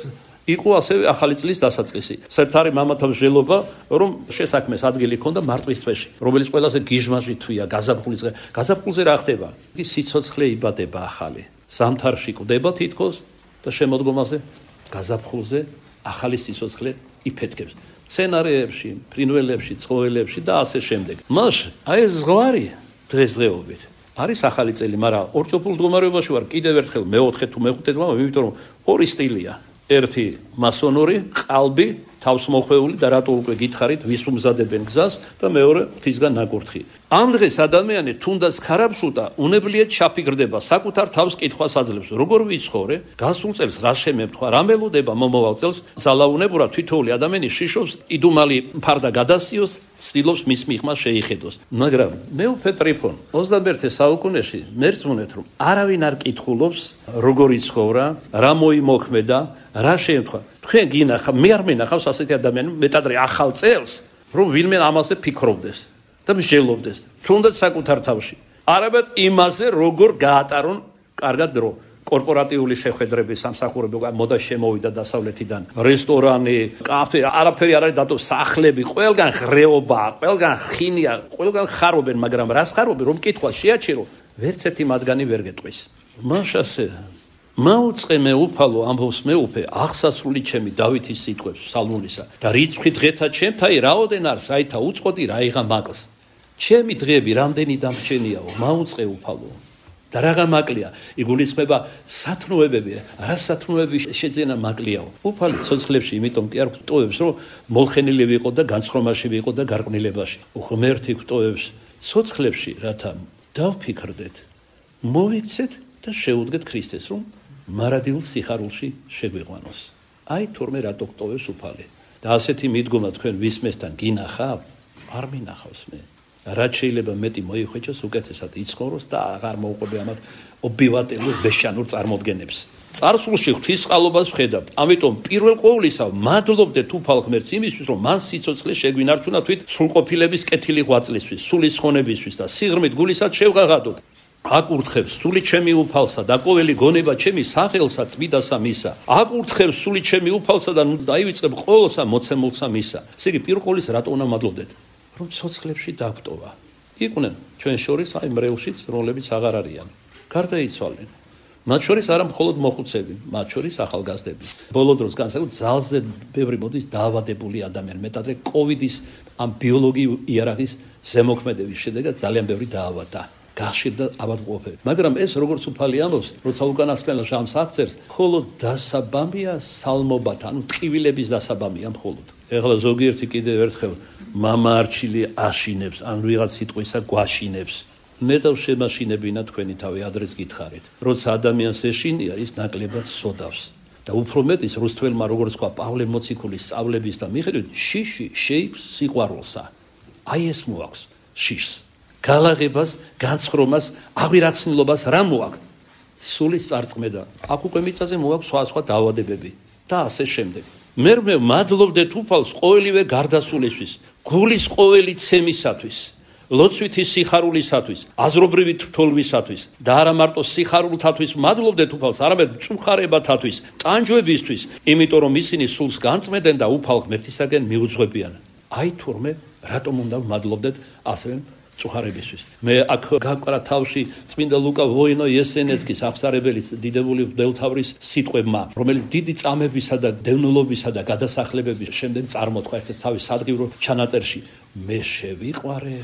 იყო ასევე ახალი წლის დასაწყისი. სერტარი მამათა მსჯელობა, რომ შესაქმეს ადგილი ჰქონდა მარტის თვეში, რომელიც ყველაზე გიჟმაჟი თვია, გაზაფხულის დღე. გაზაფხულზე რა ხდება? იგი სიცოცხლე იბადება ახალი. ზამთარში კვდება თითქოს და შემოდგომაზე გაზაფხულზე ახალი სიცოცხლე იფეთქებს. სცენარეებში, ფრინველებში, ცხოველებში და ასე შემდეგ. მას აი ეს ზღვარი დღესდღეობით არის ახალი წელი, მაგრამ ორჭოფულ მდგომარეობაში ვარ კიდევ ერთხელ მეოთხე თუ მეხუთე თვე, იმიტომ რომ ორი სტილია. ერთი მასონური, ყალბი, თავსმოხვეული და რატო უკვე გითხარით, ვის უმზადებენ გზას და მეორე ღვთისგან ნაკურთხი. ამ დღეს ადამიანი თუნდაც ხარაბშუტა, უნებლიეთ ჩაფიქრდება, საკუთარ თავს კითხვას აძლევს, როგორ ვიცხოვრე, გასულ წელს რა შემემთხვა, რა მელოდება მომავალ წელს, ძალაუნებურად თითოეული ადამიანი შიშობს, იდუმალი ფარდა გადასიოს, ცდილობს მის მიღმა შეიხედოს. მაგრამ მეუფე ტრიფონ 21 საუკუნეში მერწმუნეთ, რომ არავინ არ კითხულობს, როგორ იცხოვრა, რა მოიმოქმედა, რა შეემთხვა. თქვენ გინახავ, მე არ მენახავს ასეთი ადამიანი, მეტად ახალ წელს, რომ ვინმე ამაზე ფიქრობდეს და მსჯელობდეს, თუნდაც საკუთარ თავში. არამედ იმაზე, როგორ გაატარონ კარგად დრო. კორპორატიული შეხვედრები, სამსახურები, მოდა შემოვიდა დასავლეთიდან, რესტორანი, კაფე, არაფერი არ არის დატო, სახლები, ყველგან ღრეობა, ყველგან ხინია, ყველგან ხარობენ, მაგრამ რას ხარობენ, რომ კითხვა შეაჩერო, ვერც ერთი მათგანი ვერ გეტყვის. მაშასე მაუწყე მეუფალო ამბობს მეუფე აღსასრული ჩემი დავითის სიტყვებს სალმონისა და რიცხვი დღეთა ჩემთაი რაოდენ არის რაითა უწყოდი რაიღა მაკლს ჩემი დღეები რამდენი დამრჩენიაო მაუწყე უფალო და რაღა მაკლია იგულისხმება სათნოებები რა სათნოები შეძენა მაკლიაო უფალი ცოცხლებში იმიტომ კი არ გვტოვებს რომ molხენილი ვიყო და განცხრომაში ვიყო და გარყვნილებაში ღმერთი გვტოვებს ცოცხლებში რათა დავფიქრდეთ მოვიქცეთ და შეუდგეთ ქრისტეს რომ მარადილ სიხარულში შეგვიყვანოს. აი თურმე რატო გტოვებს უფალი. და ასეთი მიდგომა თქვენ ვისმესთან გინახავ? არ მინახავს მე. რაც შეიძლება მეტი მოიხვეჭოს უკეთესად იცხოვროს და აღარ მოუყვები ამათ ობივატელურ ბეშანურ წარმოდგენებს. წარსულში ღვთისყალობას ვხედავთ. ამიტომ პირველ ყოვლისა მადლობდეთ უფალ ღმერთს იმისთვის რომ მან სიცოცხლე შეგვინარჩუნა თვით სრულყოფილების კეთილი ღვაწლისთვის, სულის ხონებისთვის და სიღრმით გულისად შევღაღადოთ. აკურთხებს სული ჩემი უფალსა და ყოველი გონება ჩემი სახელსა წმიდასა მისა. აკურთხებს სული ჩემი უფალსა და დაივიწყებ ყოველსა მოცემულსა მისა. ესე იგი პირველყოლის რატო უნდა მადლობდეთ? რომ ცოცხლებში დაგვტოვა. იყვნენ ჩვენ შორის აი მრევლშიც რომლებიც აღარ არიან. გარდაიცვალნენ. მათ შორის არა მხოლოდ მოხუცები, მათ შორის ახალგაზრდები. ბოლო დროს განსაკუთრებით ძალზე ბევრი მოდის დაავადებული ადამიანი. მეტადრე კოვიდის ამ ბიოლოგიურ იარაღის ზემოქმედების შედეგად ძალიან ბევრი დაავადდა. გახშირდა ავადმყოფები. მაგრამ ეს როგორც უფალი ამბობს, როცა უკანასკნელ ჟამს აღწერს, მხოლოდ დასაბამია სალმობათა, ანუ ტყივილების დასაბამია მხოლოდ. ეხლა ზოგიერთი კიდევ ერთხელ მამაარჩილი აშინებს, ან ვიღაც სიტყვისა გვაშინებს. ნეტავ შემაშინებინა თქვენი თავი, ადრეც გითხარით. როცა ადამიანს ეშინია, ის ნაკლებად სოდავს. და უფრო მეტის რუსთველმა როგორც თქვა პავლე მოციქულის სწავლების და მიხედვით, შიში შეიქმს სიყვარულსა. აი ეს მოაქვს შიშს. გალაღებას, განცხრომას, აღვირახსნილობას რა მოაქვს? სულის წარწმედა. აქ უკვე მიწაზე მოაქვს სხვა დაავადებები და ასე შემდეგ. მე მადლობდეთ უფალს ყოველივე გარდასულისთვის, გულის ყოველი ცემისათვის, ლოცვითი სიხარულისათვის, აზრობრივი თრთოლვისათვის და არა მარტო სიხარულთათვის მადლობდეთ უფალს, არამედ მწუხარებათათვის, ტანჯვებისთვის, იმიტომ რომ ისინი სულს განწმენდნენ და უფალ ღმერთისაგან მიუძღვებიან. აი თურმე რატომ უნდა მადლობდეთ ასევე წუხარებისთვის. მე აქ გაკვარა თავში წმინდა ლუკა ვოინო-იესენეცკის აღსარებელის დიდებული მღვდელთავრის სიტყვებმა, რომელიც დიდი წამებისა და დევნილობისა და გადასახლებების შემდეგ წარმოთქვა ერთ თავის სადგივრო ჩანაწერში. მე შევიყვარე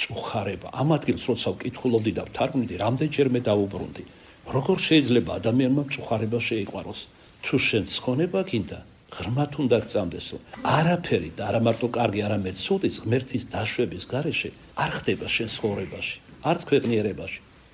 წუხარება. ამ ადგილს როცა ვკითხულობდი და ვთარგმნიდი, რამდენჯერმე დავუბრუნდი. როგორ შეიძლება ადამიანმა წუხარება შეიყვაროს? თუ შენ ცხონება გინდა, ღრმად უნდა გწამდეს, რომ არაფერი და არა მარტო კარგი, არამედ ცუდის ღმერთის დაშვების გარეშე არ ხდება შენ ცხოვრებაში, არც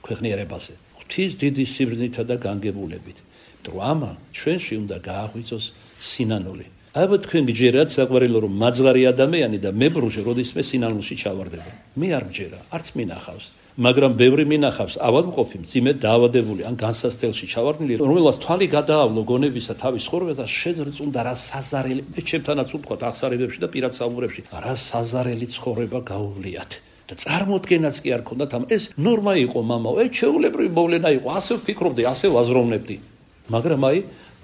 ქვეყნიერებაზე. ღვთის დიდი სიბრძნითა და განგებულებით. რომ ამან ჩვენში უნდა გააღვიძოს სინანული. აბა თქვენ გჯერათ საყვარელო რომ მაძღარი ადამიანი და მებრუჟე როდისმე სინანულში ჩავარდება. მე არ მჯერა, არც მინახავს. მაგრამ ბევრი მინახავს ავადმყოფი, მძიმე დაავადებული ან განსასწელში ჩავარდნილი, რომელსაც თვალი გადაავლო გონებისა თავის ცხოვრებაზე და შეძრწუნდა რა საზარელი, მე ჩემთანაც ვთქვათ აღსარებებში და პირად საუბრებში, რა საზარელი ცხოვრება გაუვლიათ. და წარმოდგენაც კი არ ქონდათ ამ ეს ნორმა იყო მამაო, ჩვეულებრივი მოვლენა იყო, ასე ვფიქრობდი, ასე ვაზროვნებდი. მაგრამ აი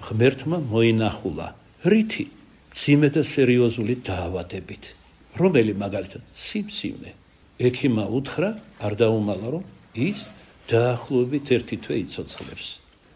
ღმერთმა მოინახულა. რითი? მძიმე და სერიოზული დაავადებით. რომელი მაგალითად? სიმსივნე. ექიმმა უთხრა, არ დაუმალა, რომ ის დაახლოებით 1 თვე იცოცხლებს.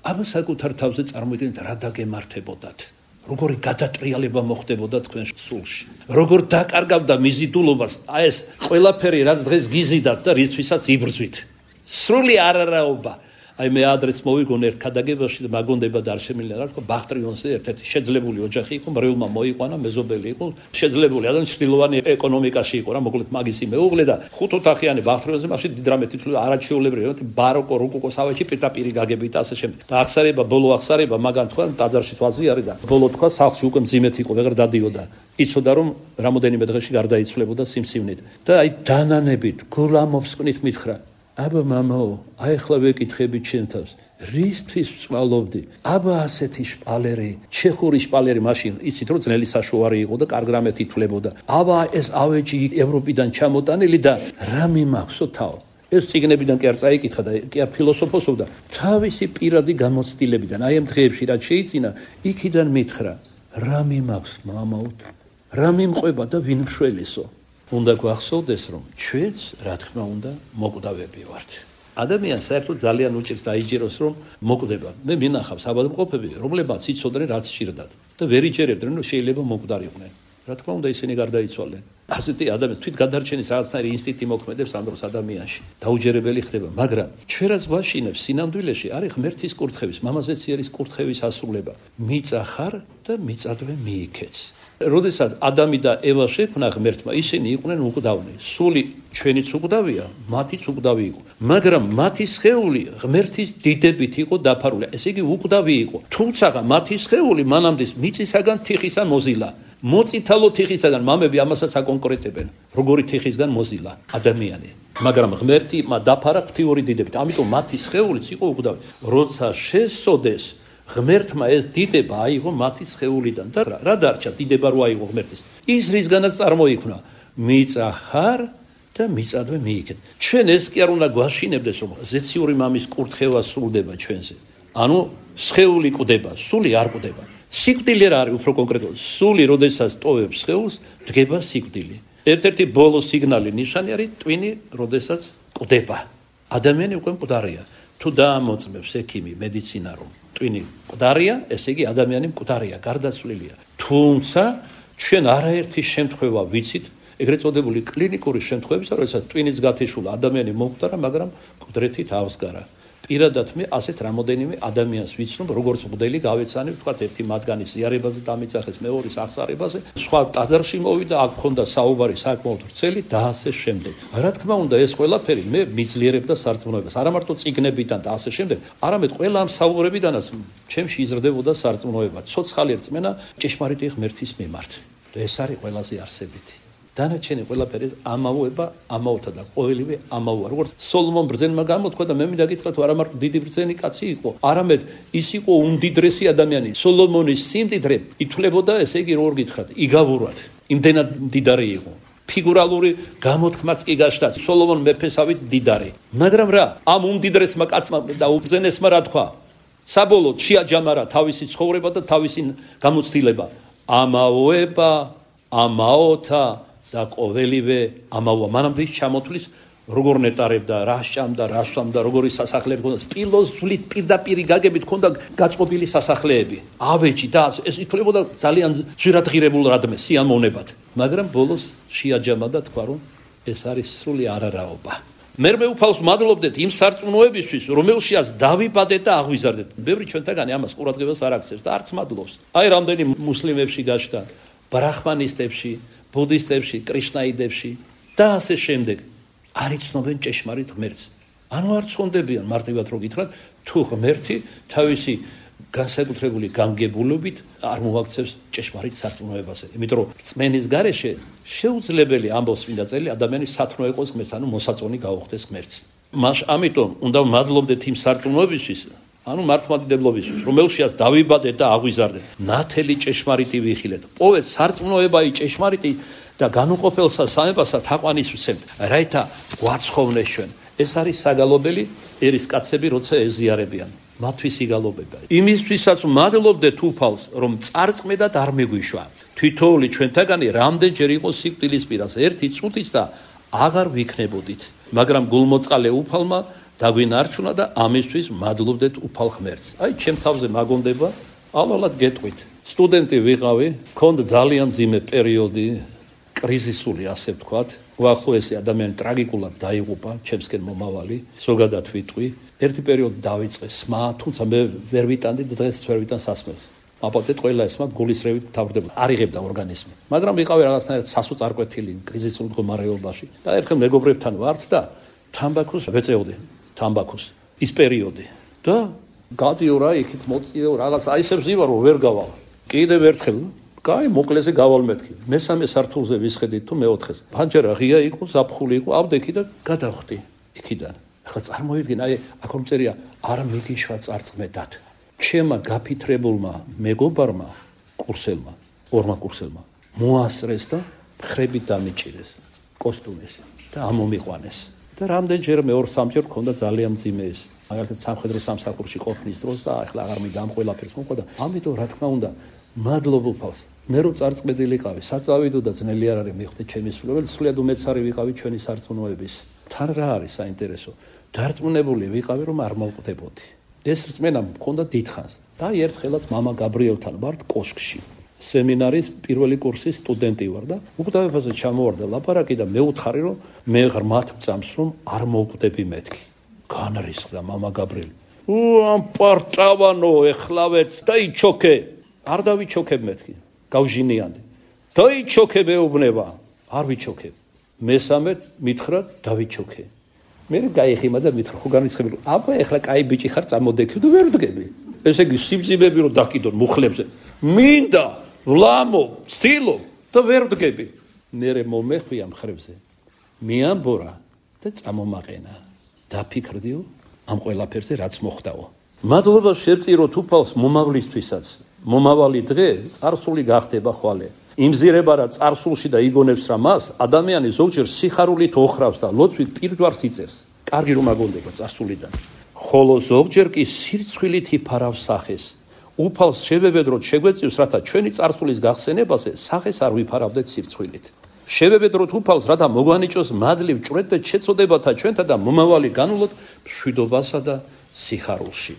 აბა საკუთარ თავზე წარმოიდგინეთ რა დაგემართებოდათ. როგორი გადატრიალება მოხდებოდა თქვენ სულში. როგორ დაკარგავდა მიზიდულობას ეს ყველაფერი, რაც დღეს გიზიდათ და რისთვისაც იბრძვით. სრული არარაობა. აი მე ადრეც მოვიგონ ერთ ქადაგებაში და მაგონდება და არ შემიძლია რა თქმა ბახტრიონზე ერთ-ერთი შეძლებული ოჯახი იყო, მრევლმა მოიყვანა, მეზობელი იყო, შეძლებული ადამიანი ჩtildeოვანი ეკონომიკაში იყო რა, მოკლედ მაგისი მეუღლე და 5 ოთახიანი ბახტრიონზე მაშინ დიდ რამე თითქოს არაჩვეულებრივი, ბაროკო, როკოკო სავაჭი პირდაპირ გაგებით და ასე შემდეგ. და აღსარება, ბოლო აღსარება მაგან თქვა ტაძარში ვაზი არის და ბოლო თქვა სახლში უკვე მძიმეთ იყო, ვეღარ დადიოდა. იცოდა რომ რამოდენიმე დღეში გარდაიცვლებოდა სიმსივნით. და აი დანანებით, გულამოფსკნით მითხრა აბა მამაო, აი ახლა ვეკითხები ჩემ თავს, რისთვის ვწვალობდი? აბა ასეთი შპალერი, ჩეხური შპალერი მაშინ იცით რომ ძნელი საშუარი იყო და კარგ რამეთ ითვლებოდა. აბა ეს ავეჯი ევროპიდან ჩამოტანილი და რა მიმახსო თავ? ეს ციგნებიდან კი არ წაიკითხა და კი არ ფილოსოფოსობდა, თავისი პირადი გამოცდილებიდან. აი ამ დღეებში რაც შეიძინა, იქიდან მითხრა, რა მიმახს მამაო? რა მიმყვება და ვინ მშველისო? უნდა გვახსოვდეს, რომ ჩვენც, რა თქმა უნდა, მოკვდავები ვართ. ადამიანს საერთოდ ძალიან უჭირს დაიჯეროს, რომ მოკვდება. მე მინახავს ავადმყოფები, რომლებმაც იცოდნენ, რაც ჭირდათ და ვერ იჯერებდნენ, რომ შეიძლება მოკვდარიყვნენ. რა თქმა უნდა, ისინი გარდაიცვალნენ. ასეთი ადამიანი თვით გადარჩენის რაღაცნაირი ინსტინქტი მოქმედებს ამ დროს ადამიანში. დაუჯერებელი ხდება, მაგრამ ჩვენ რაც ვაშინებს სინამდვილეში არის ღმერთის კურთხევის, მამაზეციერის კურთხევის ასრულება. მიწა ხარ და მიწადვე მიიქეც. როდესაც ადამი და ევა შექმნა ღმერთმა, ისინი იყვნენ უკვდავნი. სული ჩვენიც უკვდავია, მათიც უკვდავი იყო. მაგრამ მათი სხეული ღმერთის დიდებით იყო დაფარული. ესე იგი უკვდავი იყო. თუმცა მათი სხეული მანამდე მიწისაგან თიხისა მოზილა. მოწითალო თიხისაგან მამები ამასაც აკონკრეტებენ. როგორი თიხისგან მოზილა ადამიანი. მაგრამ ღმერთი დაფარა ღვთიური დიდებით. ამიტომ მათი სხეულიც იყო უკვდავი. როცა შესოდეს ღმერთმა ეს დიდება აიღო მათი სხეულიდან და რა დარჩა დიდება რო აიღო ღმერთის? ის რისგანაც წარმოიქმნა, მიწა ხარ და მიწადვე მიიქეთ. ჩვენ ეს კი არ უნდა გვაშინებდეს, რომ ზეციური მამის კურთხევა სრულდება ჩვენზე. ანუ სხეული კვდება, სული არ კვდება. სიკვდილი რა არის უფრო კონკრეტულად? სული როდესაც ტოვებს სხეულს, დგება სიკვდილი. ერთ-ერთი ბოლო სიგნალი ნიშანი არის ტვინი, როდესაც კვდება. ადამიანი უკვე მკვდარია. თუ დაამოწმებს ექიმი, მედიცინა რომ ტვინი მკვდარია, ესე იგი ადამიანი მკვდარია, გარდაცვლილია. თუმცა ჩვენ არაერთი შემთხვევა ვიცით, ეგრეთ წოდებული კლინიკური შემთხვევებისა, როდესაც ტვინის გათიშულა ადამიანი მომკვდარა, მაგრამ მკვდრეთით ავსგარა. პირადად მე ასეთ რამოდენიმე ადამიანს ვიცნობ, როგორც მღვდელი გავეცანი, ვთქვათ, ერთი მათგანის ზიარებაზე დამიწახეს, მეორის აღსარებაზე, სხვა ტაძარში მოვიდა, აქ მქონდა საუბარი საკმაოდ ვრცელი და ასე შემდეგ. რა თქმა უნდა, ეს ყველაფერი მე მიძლიერებდა სარწმუნოებას, არა მარტო წიგნებიდან და ასე შემდეგ, არამედ ყველა ამ საუბრებიდანაც ჩემში იზრდებოდა სარწმუნოება, ცოცხალი რწმენა ჭეშმარიტი ღმერთის მიმართ. და ეს არის ყველაზე არსებითი. დანარჩენი ყველაფერი ამაოება, ამაოთა და ყოველივე ამაოა. როგორც სოლომონ ბრძენმა გამოთქვა და მე მინდა გითხრათ, არა მარტო დიდი ბრძენი კაცი იყო, არამედ ის იყო უმდიდრესი ადამიანი. სოლომონის სიმდიდრე ითვლებოდა, ესე იგი როგორ გითხრათ, იგავურად. იმდენად მდიდარი იყო. ფიგურალური გამოთქმაც კი გაშთა. სოლომონ მეფესავით მდიდარი. მაგრამ რა, ამ უმდიდრესმა კაცმა და უბრძენესმა რა თქვა? საბოლოოდ შეაჯამარა თავისი ცხოვრება და თავისი გამოცდილება. ამაოება, ამაოთა და ყოველივე ამაოა. მანამდე ის ჩამოთვლის როგორ ნეტარებდა, რა შამდა, რა სვამდა, როგორი სასახლეები ჰქონდა, სპილოსვლით პირდაპირ გაგებით ჰქონდა გაწყობილი სასახლეები. ავეჯი და ეს ითვლებოდა ძალიან ძვირადღირებულ რადმე სიამოვნებად. მაგრამ ბოლოს შეაჯამა და თქვა, რომ ეს არის სრული არარაობა. მერმე უფალს მადლობდეთ იმ სარწმუნოებისთვის, რომელშიაც დავიბადეთ და აღვიზარდეთ. ბევრი ჩვენთაგანი ამას ყურადღებას არ აქცევს და არც მადლობს. აი რამდენი მუსლიმებში გაჩნდა, ბრაჰმანისტებში, ბუდისტებში, კრიშნაიდებში და ასე შემდეგ. არ იცნობენ ჭეშმარიტ ღმერთს. ანუ არ ცხონდებიან მარტივად რო გითხრათ, თუ ღმერთი თავისი განსაკუთრებული განგებულობით არ მოაქცევს ჭეშმარიტ სარწმუნოებაზე. იმიტომ რომ რწმენის გარეშე შეუძლებელი ამბობს წმინდა წელი ადამიანის სათნო იყოს ღმერთს, ანუ მოსაწონი გაუხდეს ღმერთს. მას ამიტომ უნდა მადლობდეთ იმ სარწმუნოებისთვის, ანუ მართლმადიდებლობისთვის, რომელშიაც დავიბადეთ და აღვიზარდეთ. ნათელი ჭეშმარიტი ვიხილეთ. პოვეთ სარწმუნოებაი ჭეშმარიტი და განუყოფელსა სამებასა თაყვანისმცემთ, რაითა გვაცხოვნეს ჩვენ. ეს არის საგალობელი ერისკაცები, როცა ეზიარებიან. მათთვის იგალობება. იმისთვისაც მადლობდეთ უფალს, რომ წარწმედად არ მეგვიშვა. თვითოული ჩვენთაგანი რამდენჯერ იყო სიკვდილის პირას, ერთი წუთიც და აღარ ვიქნებოდით. მაგრამ გულმოწყალე უფალმა დაგვინარჩუნა და ამისთვის მადლობდეთ უფალ ღმერთს. აი, ჩემ თავზე მაგონდება, ალალად გეტყვით. სტუდენტი ვიყავი, მქონდა ძალიან მძიმე პერიოდი, კრიზისული, ასე ვთქვათ. უახლოესი ადამიანი ტრაგიკულად დაიღუპა, ჩემსკენ მომავალი, ზოგადად ვიტყვი. ერთი პერიოდი დავიწყე სმა, თუმცა მე ვერ ვიტანდი და დღეს ვერ ვიტან სასმელს. აპატეთ ყველა ესმა გულისრევით თავდება, არ იღებდა ორგანიზმი. მაგრამ ვიყავი რაღაცნაირად სასოწარკვეთილი კრიზისულ მდგომარეობაში და ერთხელ მეგობრებთან ვართ და თამბაქოს ვეწეოდი, თამბაქოს ის პერიოდი და გადიო რა იქით მოწიო რაღაც აი ესე ვზივარო ვერ გავალ. კიდევ ერთხელ კაი მოკლეზე გავალ მეთქი. მესამე სართულზე ვისხედით თუ მეოთხეს. ფანჯარა ღია იყო, ზაფხული იყო, ავდექი და გადავხდი იქიდან. ახლა წარმოვიდგინე, აი აქ წერია არ მიგიშვა წარწმედად. ჩემმა გაფითრებულმა მეგობარმა კურსელმა, ორმა კურსელმა მოასწრეს და ხრებით დამიჭირეს კოსტუმის და ამომიყვანეს. და რამდენჯერ მეორე-სამჯერ მქონდა ძალიან მძიმე ეს. მაგალითად სამხედრო სამსახურში ყოფნის დროს და ახლა აღარ მიდამ ყველაფერს მოყვა და ამიტომ რა თქმა უნდა მადლობ უფალს. მე რო წარწმედილიყავი, საწავიდო და ძნელი არ არის მივხვდი ჩემი სულებელი, სულიად უმეცარი ვიყავი ჩვენი სარწმუნოების. თან რა არის საინტერესო? დარწმუნებული ვიყავი, რომ არ მოვკვდებოდი. ეს რწმენა მქონდა დიდხანს. და ერთხელაც მამა გაბრიელთან ვართ კოშკში. სემინარის პირველი კურსის სტუდენტი ვარ და უკვდავებაზე ჩამოვარდა ლაპარაკი და მე ვუთხარი, რომ მე ღრმათ ვწამს, რომ არ მოვკვდები მეთქი. განრისხდა მამა გაბრიელი. ამ პარტავანო ეხლავეც დაიჩოქე. არ დავიჩოქებ მეთქი. გავჟინიანდი. დაიჩოქე მეუბნება. არ ვიჩოქებ. მესამე მითხრა დავიჩოქე. მე გაიხიმა და მითხრა ხო განრისხებული. აბა ეხლა კაი ბიჭი ხარ წამოდექი და ვერ ვდგები. ესე იგი სიბძიმები რომ დაკიდონ მუხლებზე. მინდა ვლამო, სტილო და ვერ ვდგები. მერე მომეხვია მხრებზე. მიამბორა და წამომაყენა. დაფიქრდიო ამ ყველაფერზე რაც მოხდაო. მადლობა შევწიროთ უფალს მომავლისთვისაც. მომავალი დღე წარსული გახდება ხვალე. იმზირება რა წარსულში და იგონებს რა მას, ადამიანი ზოგჯერ სიხარულით ოხრავს და ლოცვით პირჯვარს იწერს. კარგი რომ აგონდება წარსულიდან. ხოლო ზოგჯერ კი სირცხვილით იფარავს სახეს. უფალს შევებედროთ შეგვეწევს, რათა ჩვენი წარსულის გახსენებაზე სახეს არ ვიფარავდეთ სირცხვილით. შევებედროთ უფალს, რათა მოგვანიჭოს მადლივ ჭვრეთ და შეწოდებათა ჩვენთა და მომავალი განულოთ მშვიდობასა და სიხარულში.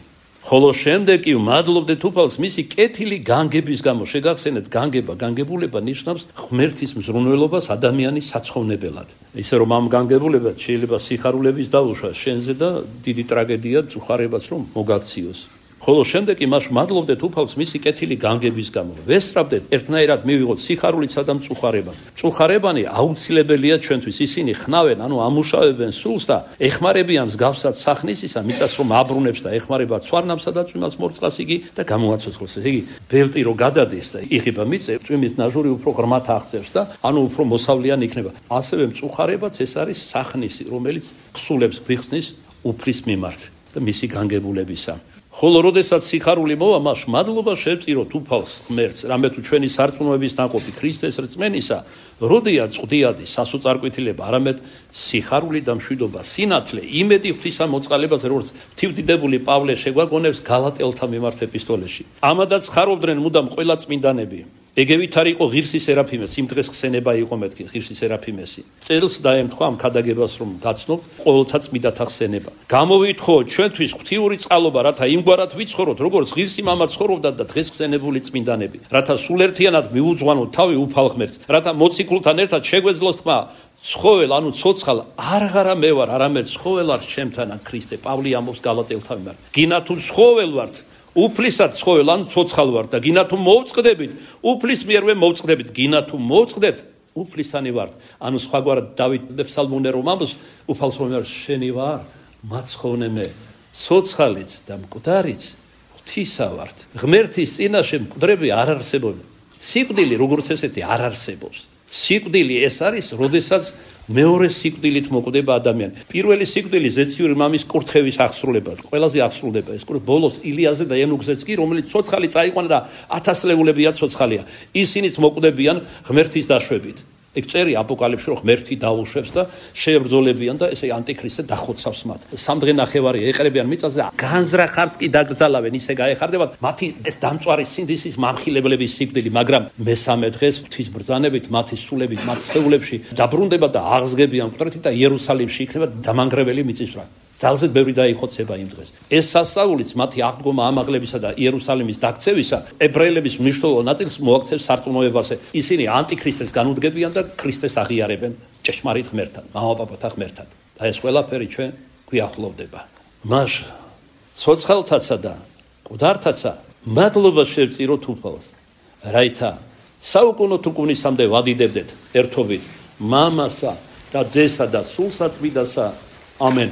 ხოლო შემდეგ კი მადლობდეთ უფალს მისი კეთილი განგების გამო. შეგახსენეთ, განგება, განგებულება ნიშნავს ღმერთის მზრუნველობას ადამიანის საცხოვნებელად. ისე რომ ამ განგებულებად შეიძლება სიხარულების დაუშვა შენზე და დიდი ტრაგედია წუხარებაც რომ მოგაქციოს. ხოლო შემდეგ კი მას მადლობდეთ უფალს მისი კეთილი განგების გამო. ვესწრაფდეთ ერთნაირად მივიღოთ სიხარულიცა და მწუხარება. მწუხარებანი აუცილებელია ჩვენთვის. ისინი ხნავენ, ანუ ამუშავებენ სულს და ეხმარებიან მსგავსად სახნისისა, მიწას რომ აბრუნებს და ეხმარება ცვარნამსა და წვიმას მორწყას იგი და გამოაცოცხლოს. ესე იგი, ბელტი რო გადადის და იღება მიწე, წვიმის ნაჟური უფრო ღრმად აღწევს და ანუ უფრო მოსავლიანი იქნება. ასევე მწუხარებაც ეს არის სახნისი, რომელიც ხსულებს გვიხსნის უფლის მიმართ და მისი განგებულებისა. ხოლო როდესაც სიხარული მოვა, მას მადლობა შევწიროთ უფალს ღმერთს, რამე თუ ჩვენი სარწმუნოების ნაყოფი ქრისტეს რწმენისა, როდია წვდიადი სასოწარკვეთილება, არამედ სიხარული და მშვიდობა, სინათლე, იმედი ღვთისამოწყალებაზე, როგორც თივდიდებული პავლე შეგვაგონებს გალატელთა მიმართ ეპისტოლეში. ამადაც ხარობდნენ მუდამ ყველა წმინდანები. ეგევით არ იყო ღირსი სერაფიმეს, იმ დღეს ხსენება იყო მეთქი ღირსი სერაფიმესი. წელს დაემთხვა ამ ქადაგებას რომ გაცნობ ყოველთა წმიდათა ხსენება. გამოვითხოვოთ ჩვენთვის ღვთიური წყალობა, რათა იმგვარად ვიცხოვროთ, როგორც ღირსი მამა ცხოვრობდა და დღეს ხსენებული წმინდანები, რათა სულერთიანად მიუძღვანოთ თავი უფალ ღმერთს, რათა მოციქულთან ერთად შეგვეძლოს თმა ცხოველ, ანუ ცოცხალ არღარა მე ვარ, არამედ ცხოველ არ ჩემთანა ქრისტე. პავლე ამბობს გალატელთა მიმართ. გინა თუ ცხოველ ვართ, უფლისად ცხოველ, ანუ ცოცხალ ვართ და გინა თუ მოვწყდებით, უფლის მიერვე მოვწყდებით, გინა თუ მოვწყდეთ, უფლისანი ვართ. ანუ სხვაგვარად დავით ფსალმონე რომ ამბობს, უფალს რომ შენი ვარ, მაცხოვნე მე, ცოცხალიც და მკვდარიც ღვთისა ვართ. ღმერთის წინაშე მკვდრები არ არსებობენ. სიკვდილი როგორც ესეთი არ არსებობს. სიკვდილი ეს არის, როდესაც მეორე სიკვდილით მოკვდება ადამიანი. პირველი სიკვდილი ზეციური მამის კურთხევის აღსრულება, ყველაზე აღსრულდება ეს ბოლოს ილიაზე და ენუქზეც კი, რომელიც ცოცხალი წაიყვანა და ათასლეულებია ცოცხალია. ისინიც მოკვდებიან ღმერთის დაშვებით. ეგ წერი აპოკალიფში რომ ღმერთი დაუშვებს და შეებრძოლებიან და ესე ანტიქრისტე დახოცავს მათ. სამდღე ნახევარი ეყრებიან მიწაზე და განზრახარც კი დაგრძალავენ, ისე გაეხარდებათ მათი ეს დამწვარი სინდისის მამხილებლების სიკვდილი, მაგრამ მესამე დღეს ღვთის ბრძანებით მათი სულებით მათ სხეულებში დაბრუნდება და აღსგებიან მკვდრეთი და იერუსალიმში იქნება დამანგრეველი მიწისძვრა. ძალზედ ბევრი დაიხოცება იმ დღეს. ეს სასწაულიც მათი აღდგომა ამაღლებისა და იერუსალიმის დაქცევისა ებრაელების მნიშვნელოვან ნაწილს მოაქცევს სარწმუნოებაზე. ისინი ანტიქრისტეს განუდგებიან და ქრისტეს აღიარებენ ჭეშმარიტ ღმერთთან, მამაპაპათა ღმერთთან. და ეს ყველაფერი ჩვენ გვიახლოვდება. მას ცოცხალთაცა და მკვდართაცა მადლობა შევწიროთ უფალს, რაითა საუკუნო თუკუნისამდე ვადიდებდეთ ერთობით მამასა და ძესა და სულსაწმინდასა. ამენ.